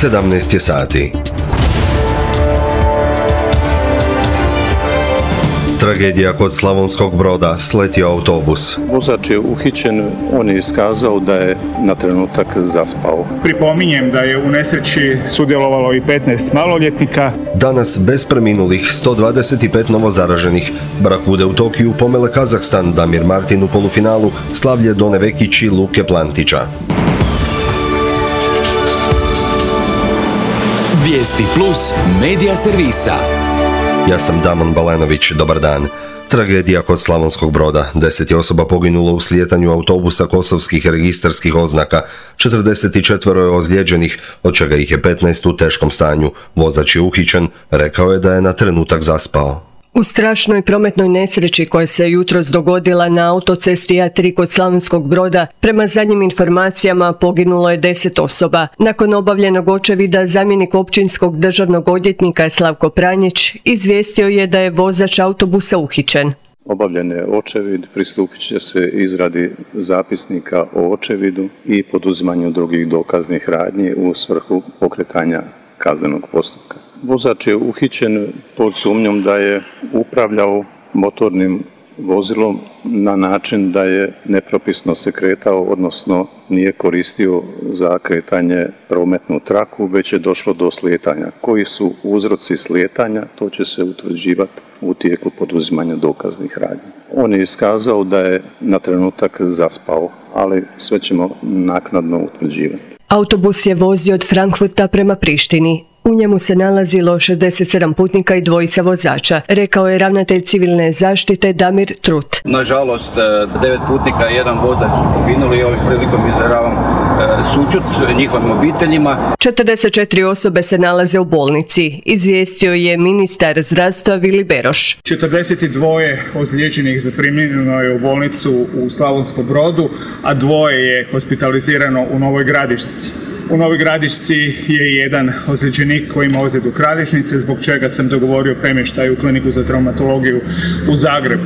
17 je sati. Tragedija kod Slavonskog Broda, sletio autobus. Vozač je uhićen, on je iskazao da je na trenutak zaspao. Pripominjem da je u nesreći sudjelovalo i 15 maloljetnika. Danas bez preminulih 125 novozaraženih. Brakude u Tokiju pomele Kazahstan, Damir Martin u polufinalu, slavlje Done Vekić i Luke Plantića. Vijesti plus medija servisa. Ja sam Damon Balenović, dobar dan. Tragedija kod Slavonskog Broda. 10 je osoba poginulo u slijetanju autobusa kosovskih registarskih oznaka. 44 je ozlijeđenih, od čega ih je 15 u teškom stanju. Vozač je uhićen, rekao je da je na trenutak zaspao. U strašnoj prometnoj nesreći koja se jutros dogodila na autocesti A3 kod Slavonskog Broda, prema zadnjim informacijama poginulo je 10 osoba. Nakon obavljenog očevida, zamjenik općinskog državnog odvjetnika Slavko Pranjić izvijestio je da je vozač autobusa uhićen. Obavljen je očevid, pristupit će se izradi zapisnika o očevidu i poduzimanju drugih dokaznih radnji u svrhu pokretanja kaznenog postupka. Vozač je uhićen pod sumnjom da je upravljao motornim vozilom na način da je nepropisno se kretao, odnosno nije koristio za kretanje prometnu traku, već je došlo do slijetanja. Koji su uzroci slijetanja, to će se utvrđivati u tijeku poduzimanja dokaznih radnji. On je iskazao da je na trenutak zaspao, ali sve ćemo naknadno utvrđivati. Autobus je vozio od Frankfurta prema Prištini. U njemu se nalazilo 67 putnika i 2 vozača, rekao je ravnatelj civilne zaštite Damir Trut. Nažalost, 9 putnika i 1 vozač su poginuli i ovim prilikom izražavam sućut njihovim obiteljima. 44 osobe se nalaze u bolnici, izvijestio je ministar zdravstva Vili Beroš. 42 ozlijeđenih zaprimljeno je u bolnicu u Slavonskom Brodu, a 2 je hospitalizirano u Novoj Gradišci. U Novoj Gradišci je jedan ozlijeđenik koji ima ozljedu kralježnice, zbog čega sam dogovorio premještaj u kliniku za traumatologiju u Zagrebu.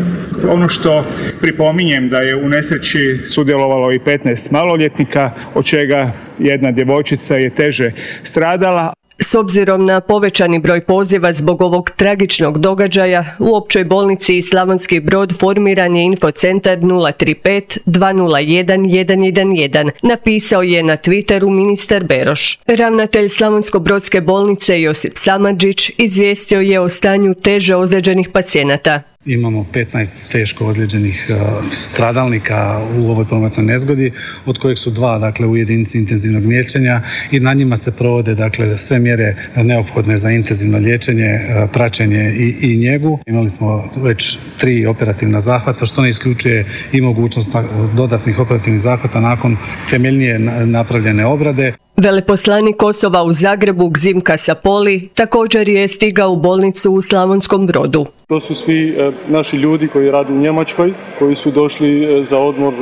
Ono što pripominjem da je u nesreći sudjelovalo i 15 maloljetnika, od čega jedna djevojčica je teže stradala. S obzirom na povećani broj poziva zbog ovog tragičnog događaja, u općoj bolnici Slavonski Brod formiran je infocentar 035 201 111, napisao je na Twitteru ministar Beroš. Ravnatelj Slavonsko-brodske bolnice Josip Samardžić izvijestio je o stanju teže ozlijeđenih pacijenata. Imamo 15 teško ozlijeđenih stradalnika u ovoj prometnoj nezgodi, od kojih su 2 u jedinici intenzivnog liječenja i na njima se provode sve mjere neophodne za intenzivno liječenje, praćenje i njegu. Imali smo već 3 operativna zahvata, što ne isključuje i mogućnost dodatnih operativnih zahvata nakon temeljnije napravljene obrade. Veleposlanik Kosova u Zagrebu Gzimka Sapoli također je stigao u bolnicu u Slavonskom Brodu. To su svi naši ljudi koji rade u Njemačkoj, koji su došli za odmor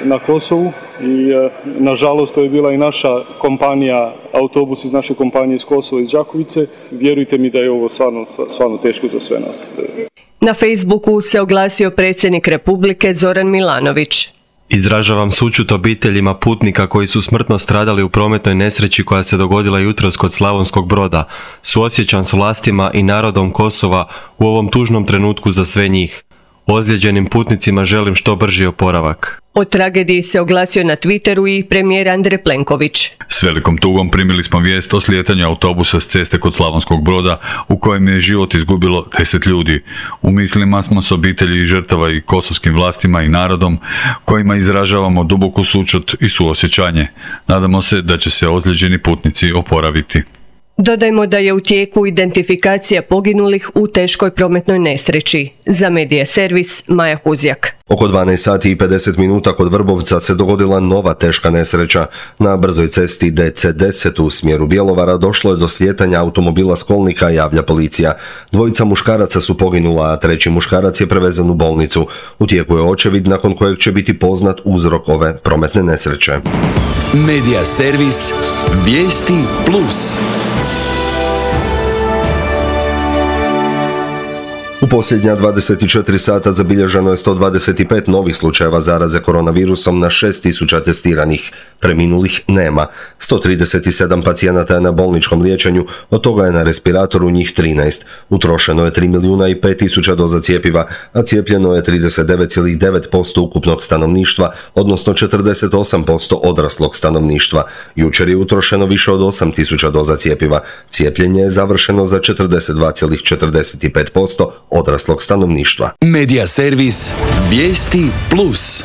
na Kosovu i nažalost to je bila i naša kompanija, autobus iz naše kompanije iz Kosova, iz Đakovice. Vjerujte mi da je ovo stvarno teško za sve nas. Na Facebooku se oglasio predsjednik Republike Zoran Milanović. Izražavam sućut obiteljima putnika koji su smrtno stradali u prometnoj nesreći koja se dogodila jutros kod Slavonskog Broda. Suosjećam s vlastima i narodom Kosova u ovom tužnom trenutku za sve njih. Ozlijeđenim putnicima želim što brži oporavak. O tragediji se oglasio na Twitteru i premijer Andrej Plenković. S velikom tugom primili smo vijest o slijetanju autobusa s ceste kod Slavonskog Broda u kojem je život izgubilo 10 ljudi. U mislima smo s obitelji žrtava i kosovskim vlastima i narodom kojima izražavamo duboku sućut i suosjećanje. Nadamo se da će se ozlijeđeni putnici oporaviti. Dodajmo da je u tijeku identifikacija poginulih u teškoj prometnoj nesreći. Za Medija servis Maja Huzjak. Oko 12 sati i 50 minuta kod Vrbovca se dogodila nova teška nesreća. Na brzoj cesti DC10 u smjeru Bjelovara došlo je do slijetanja automobila s kolnika, javlja policija. 2 muškaraca su poginula, a 3 muškarac je prevezen u bolnicu. U tijeku je očevid nakon kojeg će biti poznat uzrok ove prometne nesreće. Medija servis Vijesti plus. U posljednja 24 sata zabilježeno je 125 novih slučajeva zaraze koronavirusom na 6000 testiranih. Preminulih nema. 137 pacijenata je na bolničkom liječenju, od toga je na respiratoru njih 13. Utrošeno je 3 milijuna i 5 tisuća doza cjepiva, a cijepljeno je 39,9% ukupnog stanovništva, odnosno 48% odraslog stanovništva. Jučer je utrošeno više od 8 tisuća doza cjepiva. Cijepljenje je završeno za 42,45% odraslog stanovništva. Medija servis Vijesti Plus.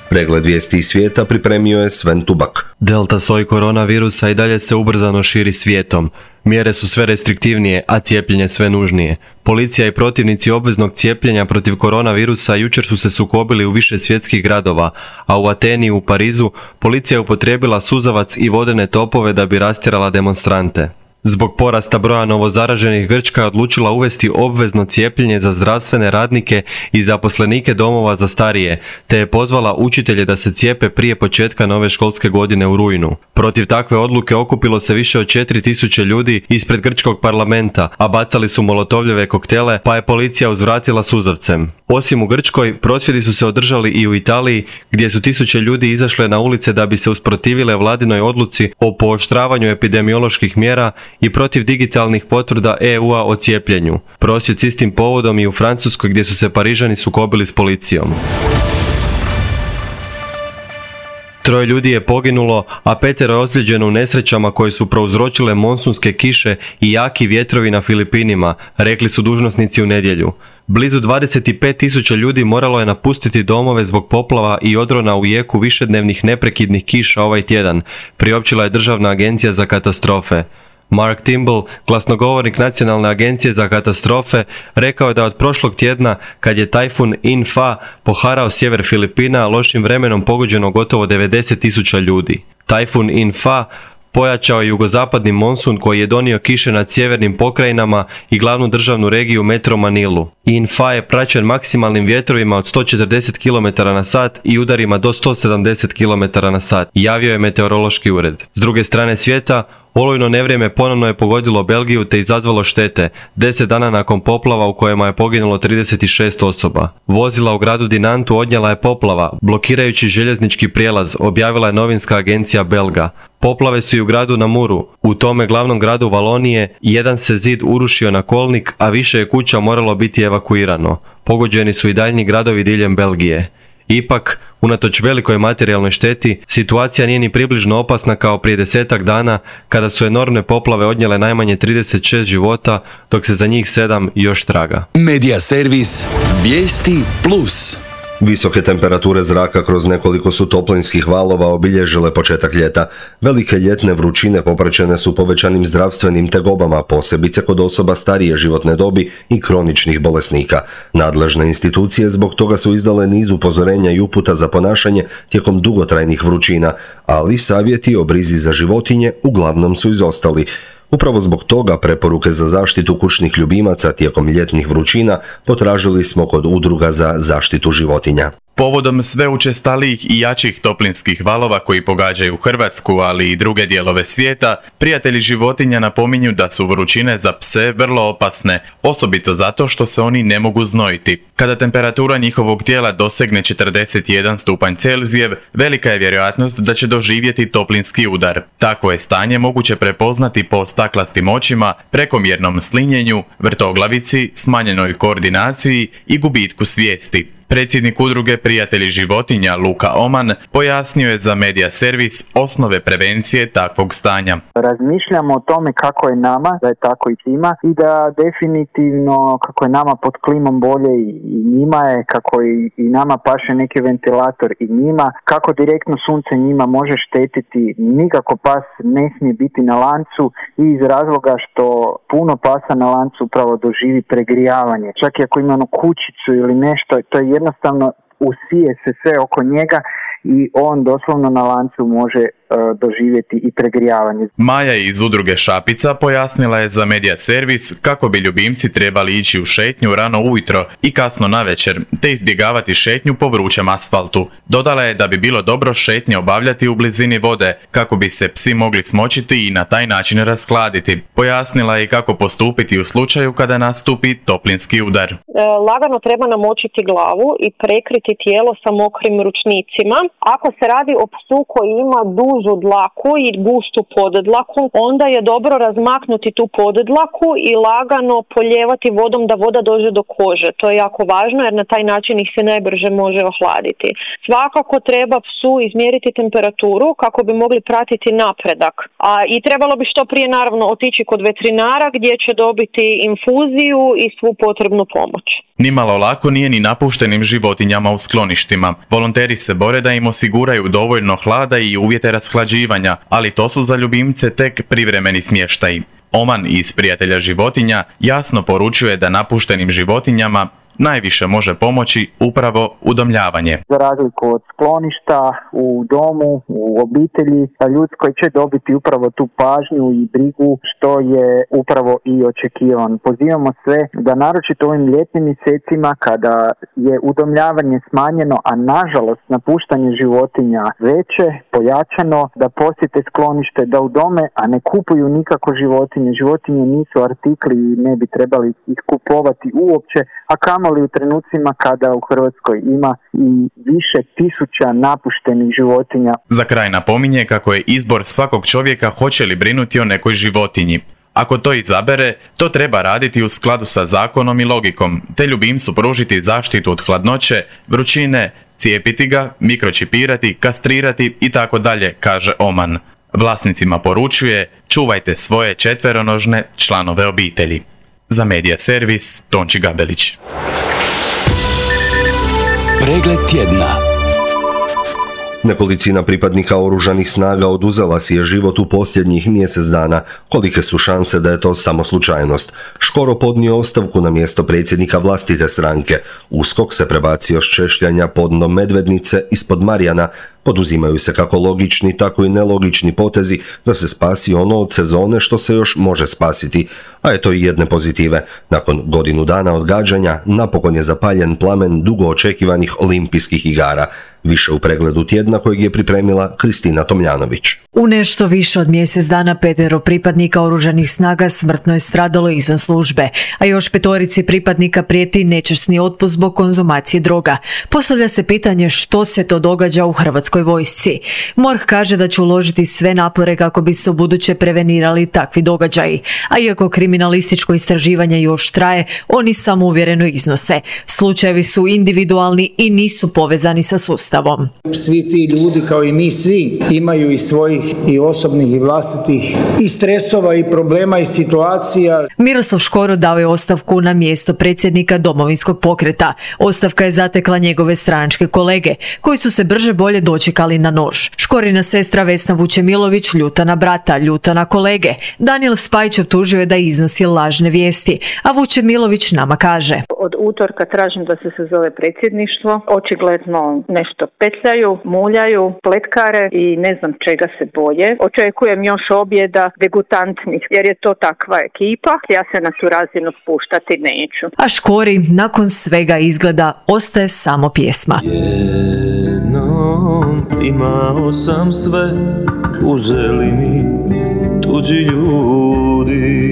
Pregled vijesti iz svijeta pripremio je Sven Tubak. Delta soj koronavirusa i dalje se ubrzano širi svijetom. Mjere su sve restriktivnije, a cijepljenje sve nužnije. Policija i protivnici obveznog cijepljenja protiv koronavirusa jučer su se sukobili u više svjetskih gradova, a u Ateni i u Parizu policija je upotrijebila suzavac i vodene topove da bi rastjerala demonstrante. Zbog porasta broja novozaraženih Grčka je odlučila uvesti obvezno cijepljenje za zdravstvene radnike i zaposlenike domova za starije, te je pozvala učitelje da se cijepe prije početka nove školske godine u rujnu. Protiv takve odluke okupilo se više od 4000 ljudi ispred grčkog parlamenta, a bacali su molotovljeve koktele, pa je policija uzvratila suzavcem. Osim u Grčkoj, prosvjedi su se održali i u Italiji, gdje su tisuće ljudi izašle na ulice da bi se usprotivile vladinoj odluci o pooštravanju epidemioloških mjera i protiv digitalnih potvrda EU-a o cijepljenju. Prosvjed s istim povodom i u Francuskoj, gdje su se Parižani sukobili s policijom. 3 ljudi je poginulo, a 5 je ozlijeđeno u nesrećama koje su prouzročile monsunske kiše i jaki vjetrovi na Filipinima, rekli su dužnosnici u nedjelju. Blizu 25.000 ljudi moralo je napustiti domove zbog poplava i odrona u jeku višednevnih neprekidnih kiša ovaj tjedan, priopćila je Državna agencija za katastrofe. Mark Timble, glasnogovornik Nacionalne agencije za katastrofe, rekao je da od prošlog tjedna, kad je tajfun In-fa poharao sjever Filipina, lošim vremenom pogođeno gotovo 90.000 ljudi. Tajfun In-fa pojačao je jugozapadni monsun koji je donio kiše nad sjevernim pokrajinama i glavnu državnu regiju Metro Manilu. In-fa je praćen maksimalnim vjetrovima od 140 km/h i udarima do 170 km/h, javio je meteorološki ured. S druge strane svijeta, olujno nevrijeme ponovno je pogodilo Belgiju te izazvalo štete, 10 dana nakon poplava u kojima je poginulo 36 osoba. Vozila u gradu Dinantu odnijela je poplava, blokirajući željeznički prijelaz, objavila je novinska agencija Belga. Poplave su i u gradu Namuru, u tome glavnom gradu Valonije, jedan se zid urušio na kolnik, a više je kuća moralo biti evakuirano. Pogođeni su i daljnji gradovi diljem Belgije. Ipak, unatoč velikoj materijalnoj šteti, situacija nije ni približno opasna kao prije 10 dana, kada su enormne poplave odnijele najmanje 36 života, dok se za njih 7 još traga. Medija servis Vijesti Plus. Visoke temperature zraka kroz nekoliko su toplinskih valova obilježile početak ljeta. Velike ljetne vrućine popraćene su povećanim zdravstvenim tegobama, posebice kod osoba starije životne dobi i kroničnih bolesnika. Nadležne institucije zbog toga su izdale niz upozorenja i uputa za ponašanje tijekom dugotrajnih vrućina, ali savjeti o brizi za životinje uglavnom su izostali. Upravo zbog toga preporuke za zaštitu kućnih ljubimaca tijekom ljetnih vrućina potražili smo kod udruga za zaštitu životinja. Povodom sve učestalijih i jačih toplinskih valova koji pogađaju Hrvatsku, ali i druge dijelove svijeta, prijatelji životinja napominju da su vrućine za pse vrlo opasne, osobito zato što se oni ne mogu znojiti. Kada temperatura njihovog tijela dosegne 41 stupanj Celzijev, velika je vjerojatnost da će doživjeti toplinski udar. Tako je stanje moguće prepoznati po staklastim očima, prekomjernom slinjenju, vrtoglavici, smanjenoj koordinaciji i gubitku svijesti. Predsjednik udruge Prijatelji životinja Luka Oman pojasnio je za Medija servis osnove prevencije takvog stanja. Razmišljamo o tome kako je nama, da je tako i svima, i da definitivno kako je nama pod klimom bolje i njima je, kako i nama paše neki ventilator i njima, kako direktno sunce njima može štetiti. Nikako pas ne smije biti na lancu i iz razloga što puno pasa na lancu upravo doživi pregrijavanje. Čak i ako ima kućicu ili nešto, to je jednostavno usije se sve oko njega i on doslovno na lancu može doživjeti i pregrijavanje. Maja iz udruge Šapica pojasnila je za Medija Servis kako bi ljubimci trebali ići u šetnju rano ujutro i kasno navečer, te izbjegavati šetnju po vrućem asfaltu. Dodala je da bi bilo dobro šetnje obavljati u blizini vode, kako bi se psi mogli smočiti i na taj način raskladiti. Pojasnila je kako postupiti u slučaju kada nastupi toplinski udar. Lagano treba namočiti glavu i prekriti tijelo sa mokrim ručnicima. Ako se radi o psu koji ima dužu dlaku i gustu podedlaku, onda je dobro razmaknuti tu podedlaku i lagano polijevati vodom da voda dođe do kože. To je jako važno jer na taj način ih se najbrže može ohladiti. Svakako treba psu izmjeriti temperaturu kako bi mogli pratiti napredak. I trebalo bi što prije naravno otići kod veterinara gdje će dobiti infuziju i svu potrebnu pomoć. Nimalo lako nije ni napuštenim životinjama u skloništima. Volonteri se bore da im osiguraju dovoljno hlada i uvjete rashlađivanja, ali to su za ljubimce tek privremeni smještaji. Oman iz Prijatelja životinja jasno poručuje da napuštenim životinjama najviše može pomoći upravo udomljavanje. Za razliku od skloništa, u domu, u obitelji, ljudskoj će dobiti upravo tu pažnju i brigu što je upravo i očekivan. Pozivamo sve da naročito ovim ljetnim mjesecima kada je udomljavanje smanjeno, a nažalost napuštanje životinja veće, pojačano, da posjete sklonište, da udome, a ne kupuju nikako životinje. Životinje nisu artikli i ne bi trebali ih kupovati uopće, a kamoli u trenucima kada u Hrvatskoj ima i više tisuća napuštenih životinja. Za kraj napominje kako je izbor svakog čovjeka hoće li brinuti o nekoj životinji. Ako to izabere, to treba raditi u skladu sa zakonom i logikom, te ljubimcu pružiti zaštitu od hladnoće, vrućine, cijepiti ga, mikročipirati, kastrirati itd., kaže Oman. Vlasnicima poručuje, čuvajte svoje četveronožne članove obitelji. Za Medija Servis, Tonči Gabelić. Pregled tjedna. Nekolicina pripadnika oružanih snaga oduzela si je život u posljednjih mjesec dana. Kolike su šanse da je to samo slučajnost? Škoro podnio ostavku na mjesto predsjednika vlastite stranke. USKOK se prebacio s češljanja podno Medvednice ispod Marjana. Poduzimaju se kako logični, tako i nelogični potezi da se spasi ono od sezone što se još može spasiti. A eto i jedne pozitive. Nakon godinu dana odgađanja, napokon je zapaljen plamen dugo očekivanih olimpijskih igara. Više u pregledu tjedna kojeg je pripremila Kristina Tomljanović. U nešto više od mjesec dana 5 pripadnika oružanih snaga smrtno je stradalo izvan službe, a još 5 pripadnika prijeti nečasni otpust zbog konzumacije droga. Postavlja se pitanje što se to događa u Hrvatskoj vojsci. MORH kaže da će uložiti sve napore kako bi se ubuduće prevenirali takvi događaji, a iako kriminalističko istraživanje još traje, oni samouvjereno iznose. Slučajevi su individualni i nisu povezani sa sustavom. Svi ti ljudi, kao i mi svi, imaju i svojih i osobnih i vlastitih i stresova i problema i situacija. Miroslav Škoro dao je ostavku na mjesto predsjednika Domovinskog pokreta. Ostavka je zatekla njegove stranačke kolege, koji su se brže bolje dočekali na nož. Škorina sestra Vesna Vučemilović ljuta na brata, ljuta na kolege. Daniel Spajić optužio je da iznosi lažne vijesti, a Vučemilović nama kaže: Od utorka tražim da se sazove predsjedništvo. Očigledno nešto petljaju, muljaju, pletkare i ne znam čega se boje. Očekujem još objeda degutantnih, jer je to takva ekipa. Ja se na tu razinu spuštati neću. A Škori nakon svega izgleda ostaje samo pjesma. Jednom imao sam sve, uzeli mi tuđi ljudi.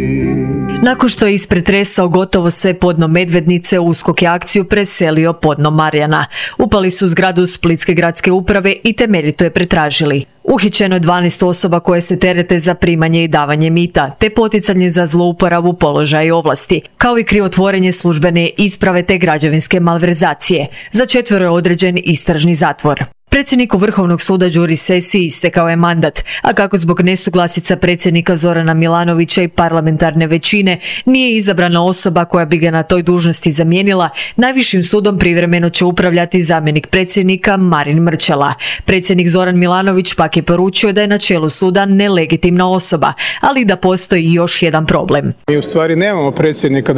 Nakon što je ispretresao gotovo sve podno Medvednice, USKOK je akciju preselio podno Marjana. Upali su zgradu Splitske gradske uprave i temeljito je pretražili. Uhićeno je 12 osoba koje se terete za primanje i davanje mita, te poticanje za zlouporabu položaja i ovlasti, kao i krivotvorenje službene isprave te građevinske malverzacije. Za 4 je određen istražni zatvor. Predsjedniku Vrhovnog suda Đuri Sesi istekao je mandat, a kako zbog nesuglasica predsjednika Zorana Milanovića i parlamentarne većine nije izabrana osoba koja bi ga na toj dužnosti zamijenila, najvišim sudom privremeno će upravljati zamjenik predsjednika Marin Mrčela. Predsjednik Zoran Milanović pak je poručio da je na čelu suda nelegitimna osoba, ali da postoji još jedan problem. Mi u stvari nemamo predsjednika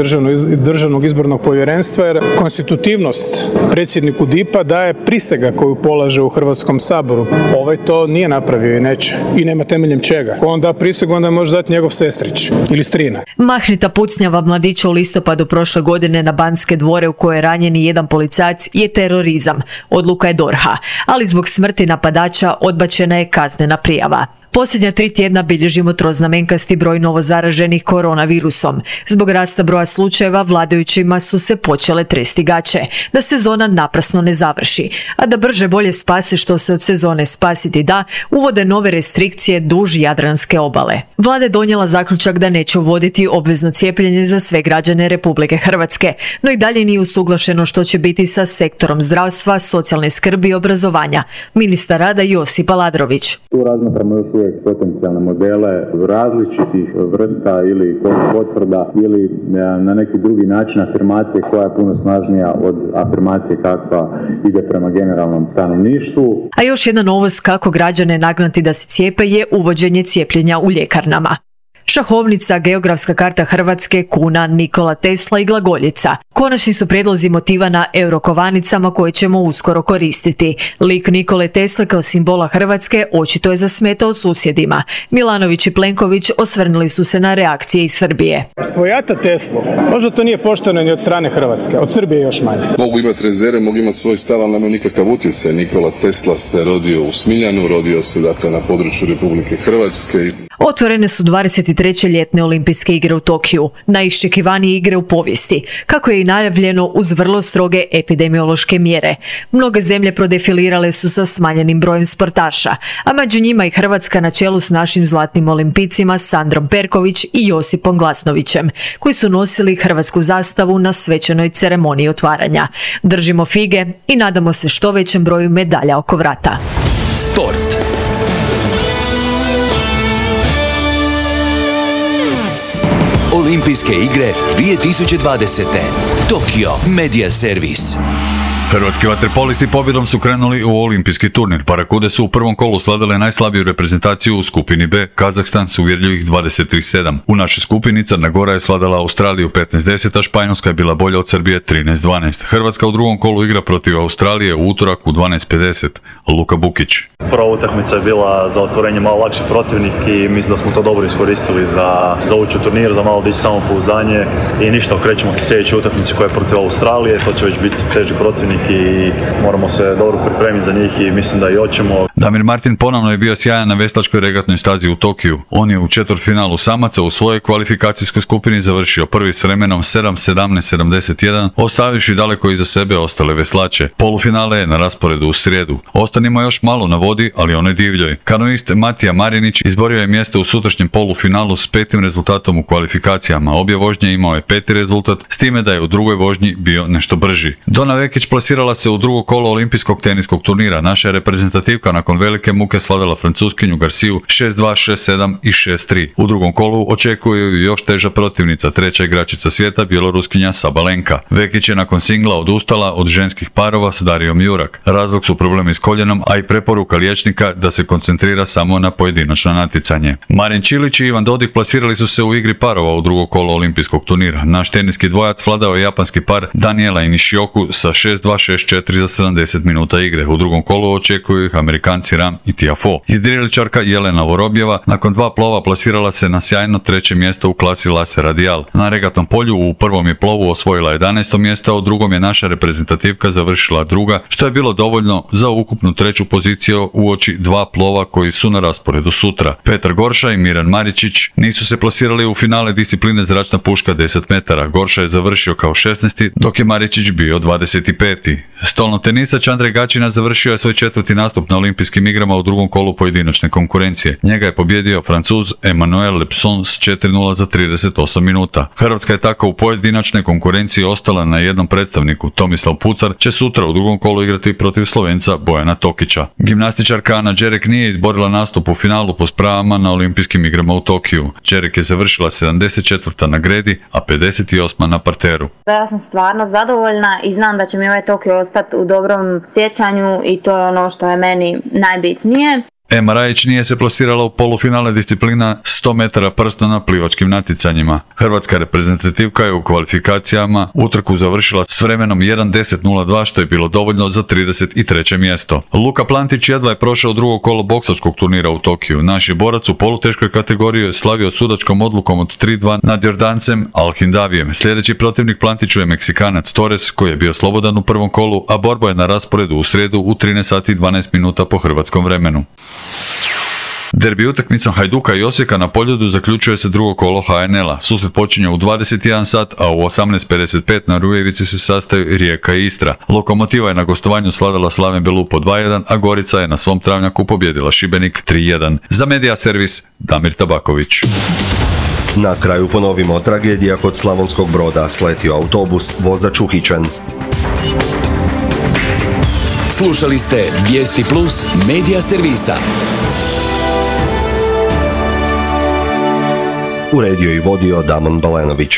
državnog izbornog povjerenstva jer konstitutivnost predsjedniku DIP-a daje prisega koju polaže u u Hrvatskom saboru. Ovaj to nije napravio i neće. I nema temeljem čega. Ko on da prisegu, onda može dati njegov sestrić ili strina. Mahnita pucnjava mladića u listopadu prošle godine na Banske dvore u kojoj je ranjen jedan policajac je terorizam. Odluka je DORH-a, ali zbog smrti napadača odbačena je kaznena prijava. Posljednja 3 tjedna bilježimo troznamenkasti broj novozaraženih koronavirusom. Zbog rasta broja slučajeva vladajućima su se počele tresti gaće, da sezona naprasno ne završi, a da brže bolje spase što se od sezone spasiti da, uvode nove restrikcije duž Jadranske obale. Vlada je donijela zaključak da neće uvoditi obvezno cijepljenje za sve građane Republike Hrvatske, no i dalje nije usuglašeno što će biti sa sektorom zdravstva, socijalne skrbi i obrazovanja. Ministar rada Josip Aladrović. Tu razmatramo još uvijek potencijalne modele različitih vrsta ili potvrda ili na neki drugi način afirmacije koja je puno snažnija od afirmacije kakva ide prema generalnom stanovništvu. A još jedna novost kako građane nagnati da se cijepe je uvođenje cijepljenja u ljekarnama. Šahovnica, geografska karta Hrvatske, kuna, Nikola Tesla i glagoljica. Konačni su prijedlozi motiva na eurokovanicama koje ćemo uskoro koristiti. Lik Nikole Tesle kao simbola Hrvatske očito je zasmetao susjedima. Milanović i Plenković osvrnuli su se na reakcije iz Srbije. Svojata Teslu, možda to nije pošteno ni od strane Hrvatske, od Srbije još manje. Mogu imati rezerve, mogu imati svoj stav, ali nema nikakav utjecaj. Nikola Tesla se rodio u Smiljanu, rodio se dakle na području Republike Hrvatske. Otvorene su 23. ljetne olimpijske igre u Tokiju, najiščekivanije igre u povijesti, kako je i najavljeno uz vrlo stroge epidemiološke mjere. Mnoge zemlje prodefilirale su sa smanjenim brojem sportaša, a među njima i Hrvatska na čelu s našim zlatnim olimpijcima Sandrom Perković i Josipom Glasnovićem, koji su nosili hrvatsku zastavu na svečanoj ceremoniji otvaranja. Držimo fige i nadamo se što većem broju medalja oko vrata. Sport. Olimpijske igre 2020. Tokio Media Service. Hrvatski vaterpolisti pobjedom su krenuli u olimpijski turnir. Parakude su u prvom kolu sladale najslabiju reprezentaciju u skupini B, Kazahstan s uvjerljivih 23-7. U našoj skupini Crna Gora je sladala Australiju 15-10, a Španjolska je bila bolja od Srbije 13-12. Hrvatska u drugom kolu igra protiv Australije u utorak u 12:50. Luka Bukić. Prva utakmica je bila za otvorenje malo lakši protivnik i mislim da smo to dobro iskoristili za ući u turnir, za malo dići samopouzdanje i ništa, okrećemo se sljedećoj utakmici koja je protiv Australije, to će već biti teži protivnik i moramo se dobro pripremiti za njih i mislim da i hoćemo. Damir Martin ponovno je bio sjajan na veslačkoj regatnoj stazi u Tokiju. On je u četvrtfinalu samaca u svojoj kvalifikacijskoj skupini završio prvi s vremenom 7:17:71, ostavivši daleko iza sebe ostale veslače. Polufinale je na rasporedu u srijedu. Ostanimo još malo na vodi, ali onoj divljoj. Kanoist Matija Marinić izborio je mjesto u sutrašnjem polufinalu s 5. rezultatom u kvalifikacijama. Obje vožnje imao je 5. rezultat, s time da je u drugoj vožnji bio nešto brži. Dona Vekić plasirala se u drugo kolo olimpijskog teniskog turnira. Naša je reprezentativka nakon velike muke slavila Francuskinju Garciju 6-2, 6-7 i 6-3. U drugom kolu očekuje ju još teža protivnica, treća igračica svijeta, bjeloruskinja Sabalenka. Vekić je nakon singla odustala od ženskih parova s Darijom Jurak. Razlog su problemi s koljenom, a i preporuka liječnika da se koncentrira samo na pojedinačno natjecanje. Marin Čilić i Ivan Dodig plasirali su se u igri parova u drugo kolo olimpijskog turnira. Naš teniski dvojac vladao je japanski par Daniela i Nishioku sa 6-2, 6-4 za 70 minuta igre. U drugom kolu očekuju ih Amerikanci Ram i Tiafoe. Jedriličarka Jelena Vorobjeva nakon 2 plova plasirala se na sjajno 3. mjesto u klasi Laser Radial. Na regatnom polju u prvom je plovu osvojila 11. mjesto, a u drugom je naša reprezentativka završila druga, što je bilo dovoljno za ukupnu 3. poziciju uoči 2 plova koji su na rasporedu sutra. Petar Gorša i Miran Maričić nisu se plasirali u finale discipline zračna puška 10 metara. Gorša je završio kao 16. dok je Maričić bio 25. Stolno tenisač Andrej Gačina završio je svoj 4. nastup na olimpijskim igrama u drugom kolu pojedinačne konkurencije. Njega je pobjedio Francuz Emmanuel Lepson s 4:0 za 38 minuta. Hrvatska je tako u pojedinačnoj konkurenciji ostala na jednom predstavniku. Tomislav Pucar će sutra u drugom kolu igrati protiv Slovenca Bojana Tokića. Gimnastičarka Ana Đerek nije izborila nastup u finalu po spravama na olimpijskim igrama u Tokiju. Đerek je završila 74. na gredi, a 58. na parteru. Ja sam stvarno zadovoljna i znam da će mi ovaj Tokio ostati u dobrom sjećanju i to je ono što je meni najbitnije. Ema Rajić nije se plasirala u polufinale disciplina 100 metara prsta na plivačkim natjecanjima. Hrvatska reprezentativka je u kvalifikacijama utrku završila s vremenom 1:10:02, što je bilo dovoljno za 33. mjesto. Luka Plantić jedva je prošao drugo kolo boksačkog turnira u Tokiju. Naš je borac u poluteškoj kategoriji je slavio sudačkom odlukom od 3:2 nad Jordancem Alhindavijem. Sljedeći protivnik Plantiću je Meksikanac Torres, koji je bio slobodan u prvom kolu, a borba je na rasporedu u srijedu u 13:12 po hrvatskom vremenu. Derbi utakmicom Hajduka i Osijeka na Poljudu zaključuje se drugo kolo HNL-a. Susret počinje u 21 sat, a u 18:55 na Rujevici se sastaju Rijeka i Istra. Lokomotiva je na gostovanju slavila Slaven Belupo 2:1, a Gorica je na svom travnjaku pobjedila Šibenik 3:1. Za Medija servis Damir Tabaković. Na kraju ponovimo, tragedija kod Slavonskog Broda, sletio autobus, vozač uhićen. Slušali ste Vijesti Plus Medija servisa. Uredio i vodio Damon Balenović.